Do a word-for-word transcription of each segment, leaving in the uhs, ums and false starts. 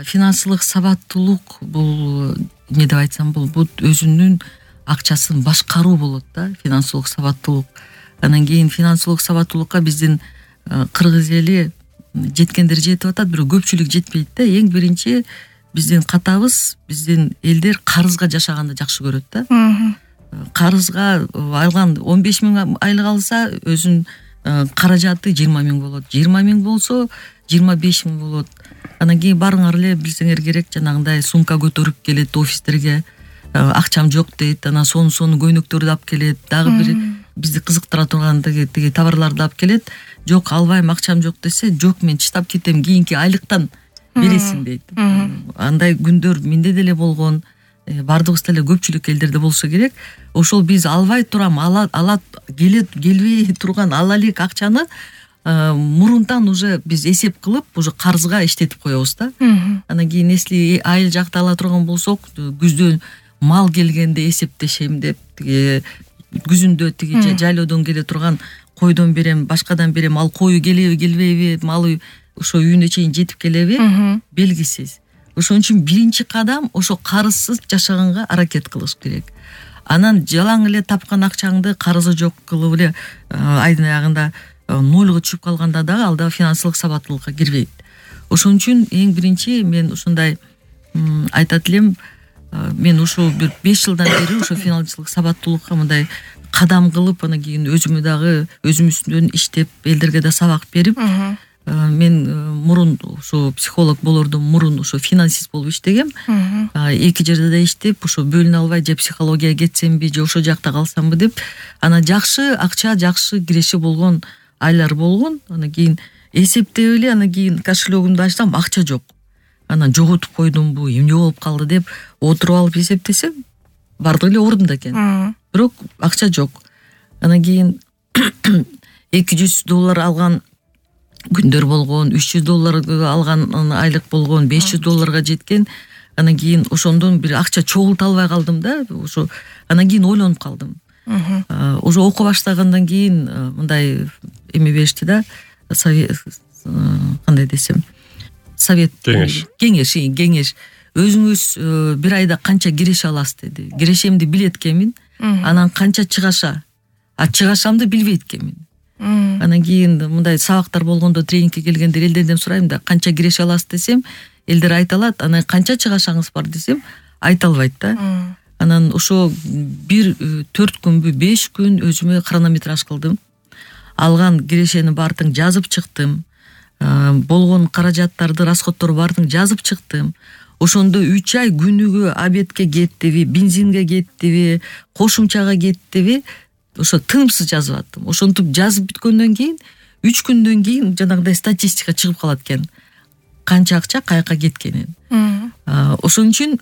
финансылык сабаттуулук бул эмне деп айтсам бул бул өзүнүн акчасын башкаруу болот да, финансылык сабаттуулук. Анан кийин финансылык сабаттуулукка биздин кыргыз эли жеткендер жетип атат, бирок көпчүлүк жетпейт да. Эң биринчи биздин катабыз, биздин элдер карызга жашаганды жакшы көрөт да. Карызга алган он беш миң айлык алса, өзүнүн каражаты жыйырма миң болот. жыйырма миң болсо жыйырма беш миң болот. Анан кийин барыңар эле билсеңер керек, жанагындай сумка көтөрүп келет офистерге. Акчам жок дейт, анан сону сону көйнөктөрдү алып келет, дагы бир бизди кызыктыра турган тиги товарларды алып келет. Жок, албайм, акчам жок десе, жок, мен чыдап кетем, кийинки айлыктан бересиң дейт. Андай күндөр менде деле болгон, бардыгыбыз деле көпчүлүк элдерде болсо керек. Ошол биз албай турам, ала ала келет келбей турган ала элек акчаны мурунтан уже биз эсеп кылып, уже карызга иштетип коебуз да. Анан кийин если айыл жакта ала турган болсок, күздөн мал келгенде эсептешем деп, тиги күзүндө тиги жайлоодон келе турган койдон берем, башкадан берем, ал кою келеби, келбейби, малы ошо үйүнө чейин жетип келеби, белгисиз. Ошон үчүн биринчи кадам ошо карызсыз жашаганга аракет кылыш керек. Анан жалаң эле тапкан акчаңды карызы жок кылып эле айдын аягында нольго түшүп калганда дагы ал да финансылык сабаттуулукка кирбейт. Ошон үчүн эң биринчи мен ушундай айтат элем, мен ошо бир беш жылдан бери ошо финансылык сабаттуулукка мындай кадам кылып, анан кийин өзүмө дагы өзүм үстүнөн иштеп, элдерге да сабак берип, мен мурун ошо психолог болордон мурун ошо финансист болуп иштегем. Эки жерде да иштеп, ошо бөлүнө албай же психологияга кетсемби, же ошо жакта калсамбы деп, анан жакшы акча, жакшы киреши болгон айлар болгон. Анан кийин эсептеп эле, анан кийин кошелегимди ачсам, акча жок. Анан жоготуп койдумбу, эмне болуп калды деп отуруп алып эсептесем, бардыгы эле ордунда экен. Бирок акча жок. Анан кийин эки жүз доллар алган күндөр болгон, үч жүз доллар алган айлык болгон, беш жүз долларга жеткен. Анан кийин ошондон бир акча чогулта албай калдым да. Ошо анан кийин ойлонуп калдым. Уже окуу баштагандан кийин мындай эме беришти да, кандай десем, совет, кеңеш, кеңеш, кеңеш. Өзүңүз бир айда канча киреше аласыз деди. Кирешемди билет экенмин, анан канча чыгаша, а чыгашамды билбейт экенмин. Анан кийин мындай сабактар болгондо, тренингке келгенде элдерден сурайм да, канча киреше аласыз десем, элдер айта алат. Анан канча чыгашаңыз бар десем, айта албайт да. Анан ошо бир төрт күнбү, беш күн өзүмө хронометраж кылдым. Алган кирешенин баардыгын жазып чыктым. Болгон каражаттарды, расходторду баардыгын жазып чыктым. Ошондо үч ай күнүгө обедке кеттиби, бензинге кеттиби, кошумчага кеттиби, ошо тынымсыз жазып аттым. Ошентип жазып бүткөндөн кийин үч күндөн кийин жанагындай статистика чыгып калат экен. Канча акча каяка кеткенин. Ошон үчүн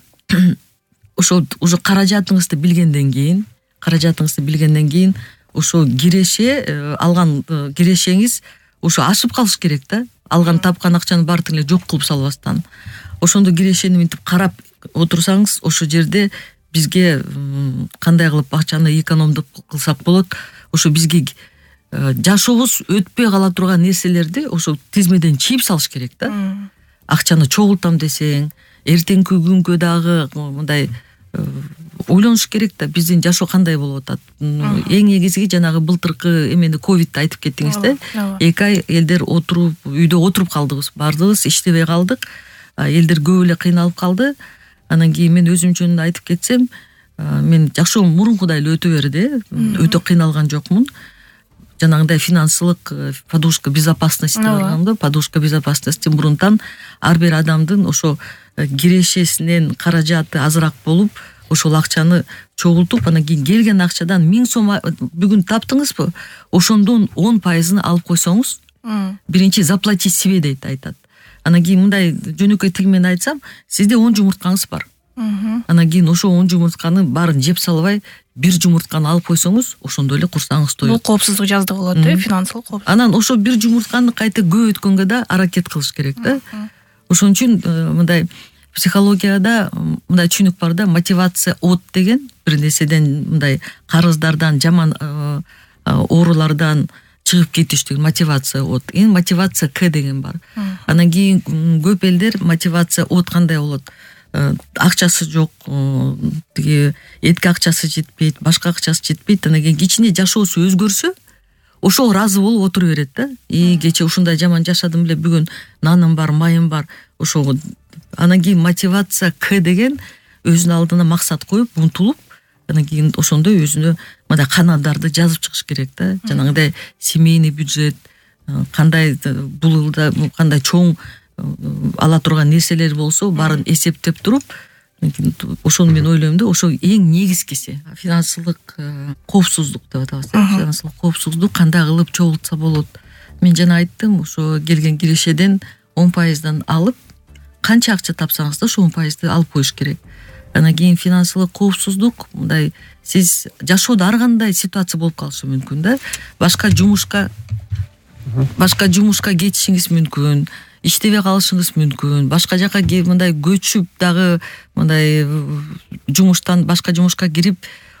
ошо уже каражатыңызды билгенден кийин, каражатыңызды билгенден кийин ошо киреше, алган кирешеңиз ошо ашып калыш керек да. Алган тапкан акчаны баардыгын эле жок кылып салбастан. Ошондо кирешени мынтип карап отурсаңыз, ошо жерде бизге кандай кылып акчаны экономдук кылсак болот, ошо бизге жашообуз өтпөй кала турган нерселерди ошо тизмеден чийип салыш керек да. Акчаны чогултам десең, эртеңки күнгө дагы мындай ойлонуш керек да, биздин жашоо кандай болуп атат. Эң негизи жанагы былтыркы эмени ковидти айтып кеттиңиз да. эки ай элдер отуруп, үйдө отуруп калдыгыз, бардыгыбыз иштебей калдык. Элдер көп эле кыйналып калды. Анан кийин мен өзүмчөн айтып кетсем, мен жашоом мурункудай эле өтө берди, өтө кыйналган жокмун. Жанагындай финансылык подушка безопасности болгондо, подушка безопасности мурунтан ар бир адамдын ошо кирешесинен каражаты азыраак болуп, ошол акчаны чогултуп, анан кийин келген акчадан миң сом бүгүн таптыңызбы, ошондон он пайызын алып койсоңуз, биринчи заплатить себе дейт, айтат. Анан кийин мындай жөнөкөй тил менен айтсам, сизде он жумурткаңыз бар. Анан кийин ошо он жумуртканы баарын жеп салбай, бир жумуртканы алып койсоңуз, ошондо эле курсаңыз тоет. Бул коопсуздук жаздыгы болот, э, финансылык коопсуздук. Анан ошо бир жумуртканы кайта көбөйткөнгө да аракет кылыш керек да. Ошон үчүн мындай психологияда мындай түшүнүк бар да, мотивация от деген, бир нерседен мындай карыздардан, жаман оорулардан чыгып кетиш деген мотивация от. Эң мотивация К деген бар. Анан кийин көп элдер мотивация от кандай болот, акчасы жок, тиги этке акчасы жетпейт, башка акчасы жетпейт, анан кийин кичине жашоосу өзгөрсө ошого ыраазы болуп отура берет да. И кечээ ушундай жаман жашадым эле, бүгүн наным бар, майым бар, ошого. Анан кийин мотивация К деген өзүнүн алдына максат коюп, умтулуп, анан кийин ошондой өзүнө мындай каналдарды жазып чыгыш керек да. Жанагындай семейный бюджет, кандай бул жылда кандай чоң ала турган нерселер болсо баарын эсептеп туруп, ошону мен ойлойм да, ошо эң негизгиси. Финансылык коопсуздук деп атабыз. Финансылык коопсуздук кандай кылып чогултса болот. Мен жана айттым, ошо келген кирешеден он пайыздан алып, канча акча тапсаңыз да ошо он пайызды алып коюш керек. Анан кийин финансылык коопсуздук, мындай сиз жашоодо ар кандай ситуация болуп калышы мүмкүн да. Башка жумушка башка жумушка кетишиңиз мүмкүн, иштебей калышыңыз мүмкүн, башка жака мындай көчүп дагы мындай жумуштан башка жумушка кирип,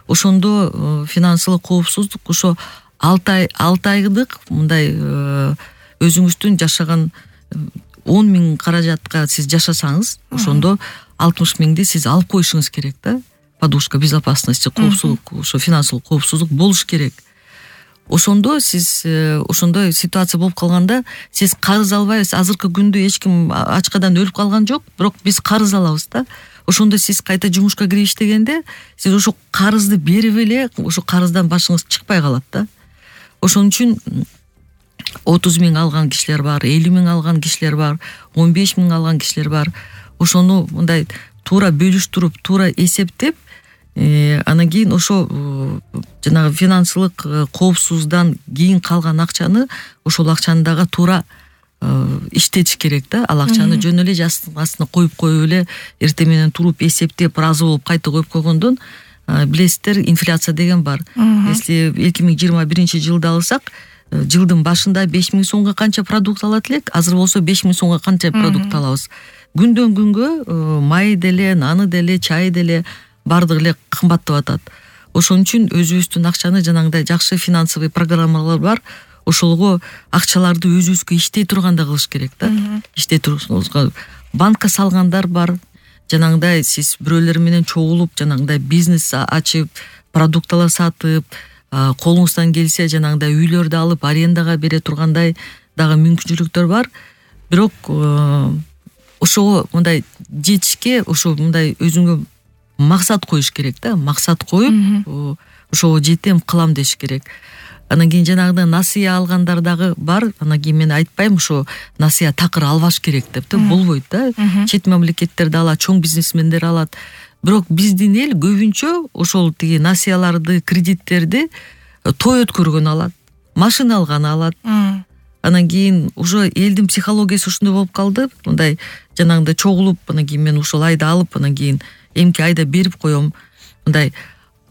ошондо финансылык коопсуздук ошо алты ай алты айдык мындай өзүңүздүн жашаган он миң каражатка сиз жашасаңыз, ошондо алтымыш миңди сиз алып коюшуңуз керек да. Подушка безопасности, коопсуздук, ошо финансылык коопсуздук болуш керек. Ошондо сиз ошондой ситуация болуп калганда сиз карыз албайсыз. Азыркы күндө эч ким ачкадан өлүп калган жок, бирок биз карыз алабыз да. Ошондо сиз кайта жумушка кирип иштегенде сиз ошо карызды берип эле ошо карыздан башыңыз чыкпай калат да. Ошон үчүн отуз миң алган кишилер бар, элүү миң алган кишилер бар, он беш миң алган кишилер бар. Ошону мындай туура бөлүштүрүп, туура эсептеп, анан кийин ошо жанагы финансылык коопсуздан кийин калган акчаны ошол акчаны дагы туура иштетиш керек да. Ал акчаны жөн эле жастын астына коюп коюп эле эртең менен туруп эсептеп ыраазы болуп кайта коюп койгондон, билесиздер, инфляция деген бар. Если эки миң жыйырма биринчи жылды алсак, жылдын башында беш миң сомго канча продукт алат элек, азыр болсо беш миң сомго канча продукт алабыз. Күндөн күнгө май деле, наны деле, чай деле бардыгы эле кымбаттап атат. Ошон үчүн өзүбүздүн акчаны жанагындай жакшы финансовый программалар бар. Ошолго акчаларды өзүбүзгө иштей турганда кылыш керек да. Иштей турган банкка салгандар бар. Жанагындай сиз бирөөлөр менен чогулуп, жанагындай бизнес ачып, продукталар сатып, колуңуздан келсе жанагындай үйлөрдү алып арендага бере тургандай дагы мүмкүнчүлүктөр бар. Бирок ошого мындай жетишке ошо мындай өзүңө максат коюш керек да. Максат коюп, ошого жетем, кылам деш керек. Анан кийин жанагыдай насыя алгандар дагы бар. Анан кийин мен айтпайм ошо насыя такыр албаш керек деп да, болбойт да. Чет мамлекеттерде алат, чоң бизнесмендер алат. Бирок биздин эл көбүнчө ошол тиги насыяларды, кредиттерди той өткөргөн алат, машина алган алат. Анан кийин уже элдин психологиясы ушундай болуп калды. Мындай жанагындай чогулуп, анан кийин мен ушул айда алып, анан кийин эмки айда берип коем. Мындай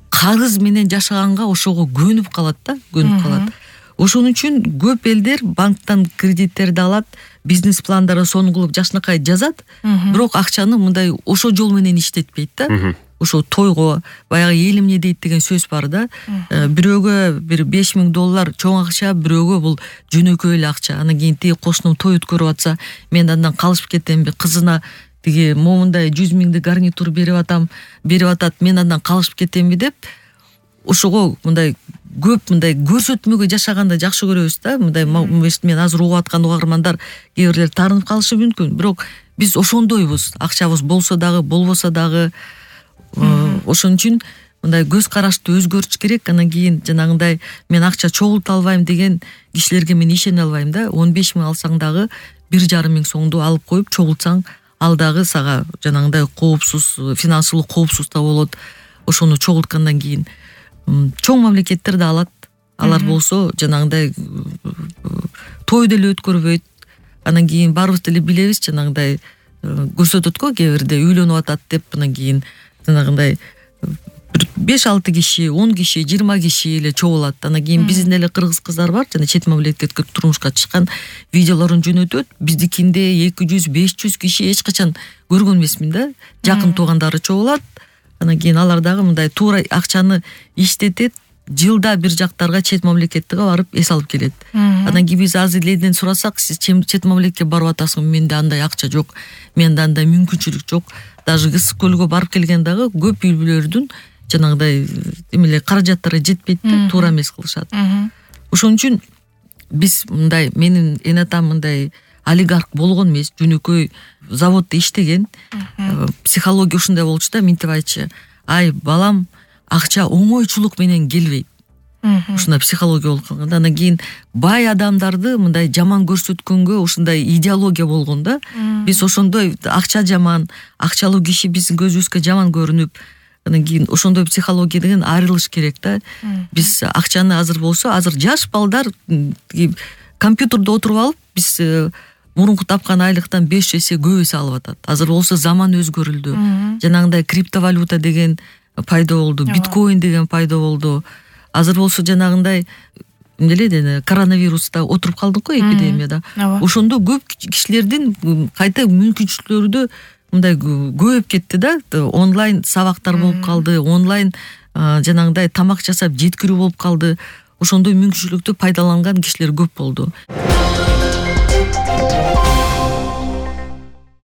карыз менен жашаганга ошого көнүп калат да, көнүп калат. Ошон үчүн көп элдер банктан кредиттерди алат, бизнес пландары сонун кылып жакшынакай жазат, бирок акчаны мындай ошо жол менен иштетпейт да. Ошо тойго, баягы элим эмне дейт деген сөз бар да. Бирөөгө бир беш миң доллар чоң акча, бирөөгө бул жөнөкөй эле акча. Анан кийин тиги кошунум той өткөрүп атса, мен андан калышып кетемби, кызына тиги момундай жүз миңди гарнитур берип атам, берип атат, мен андан калышып кетемби деп, ошого мындай көп мындай көрсөтмөгө жашаганды жакшы көрөбүз да. Мындай мен азыр угуп аткан угармандар кээ бирлер таарынып калышы мүмкүн, бирок биз ошондойбуз. Акчабыз болсо дагы, болбосо дагы. Ошон үчүн мындай көз карашты өзгөртүш керек. Анан кийин жанагындай мен акча чогулта албайм деген кишилерге мен ишене албайм да. он беш миң алсаң дагы бир жарым миң сомду алып коюп чогултсаң, ал дагы сага жанагындай коопсуз, финансылык коопсуз да болот. Ошону чогулткандан кийин чоң мамлекеттер да алат. Алар болсо жанагындай той деле өткөрбөйт. Анан кийин баарыбыз деле билебиз, жанагындай көрсөтөт го кээ бирде үйлөнүп атат деп, анан кийин жанагындай беш алты киши, он киши, жыйырма киши эле чогулат. Анан кийин биздин эле кыргыз кыздар бар, жана чет мамлекетке турмушка чыккан видеолорун жөнөтөт. Биздикинде эки жүз, беш жүз киши эч качан көргөн эмесмин да. Жакын туугандары чогулат. Анан кийин алар дагы мындай туура акчаны иштетет, жылда бир жактарга чет мамлекетке барып эс алып келет. Анан кийин биз азыр элден сурасак, сиз чет мамлекетке барып атасыңбы? Менде андай акча жок, менде андай мүмкүнчүлүк жок. Даже ысык көлгө барып келген дагы көп үй бүлөлөрдүн жанагындай эмеле каражаттары жетпейт да, туура эмес кылышат. Ошон үчүн биз мындай, менин эн атам мындай олигарх болгон эмес, жөнөкөй заводдо иштеген. Психология ушундай болчу да, минтип айтчу: ай балам, акча оңойчулук менен келбейт. Ушундай психология болуп калган да. Анан кийин бай адамдарды мындай жаман көрсөткөнгө ушундай идеология болгон да. Биз ошондой акча жаман, акчалуу киши биздин көзүбүзгө жаман көрүнүп, анан кийин ошондой психологиядан арылыш керек да. Биз акчаны азыр болсо, азыр жаш балдар компьютерде отуруп алып, биз мурунку тапкан айлыктан беш эсе көп эсе алып атат. Азыр болсо заман өзгөрүлдү. Жанагындай криптовалюта деген пайда болду, биткоин деген пайда болду. Азыр болсо жанагындай эмне деле коронавируста отуруп калдык го, эпидемияда. Ошондо көп кишилердин кайта мүмкүнчүлүктөрү да мындай көбөйүп кетти да. Онлайн сабактар болуп калды, онлайн жанагындай тамак жасап жеткирүү болуп калды. Ошондой мүмкүнчүлүктү пайдаланган кишилер көп болду.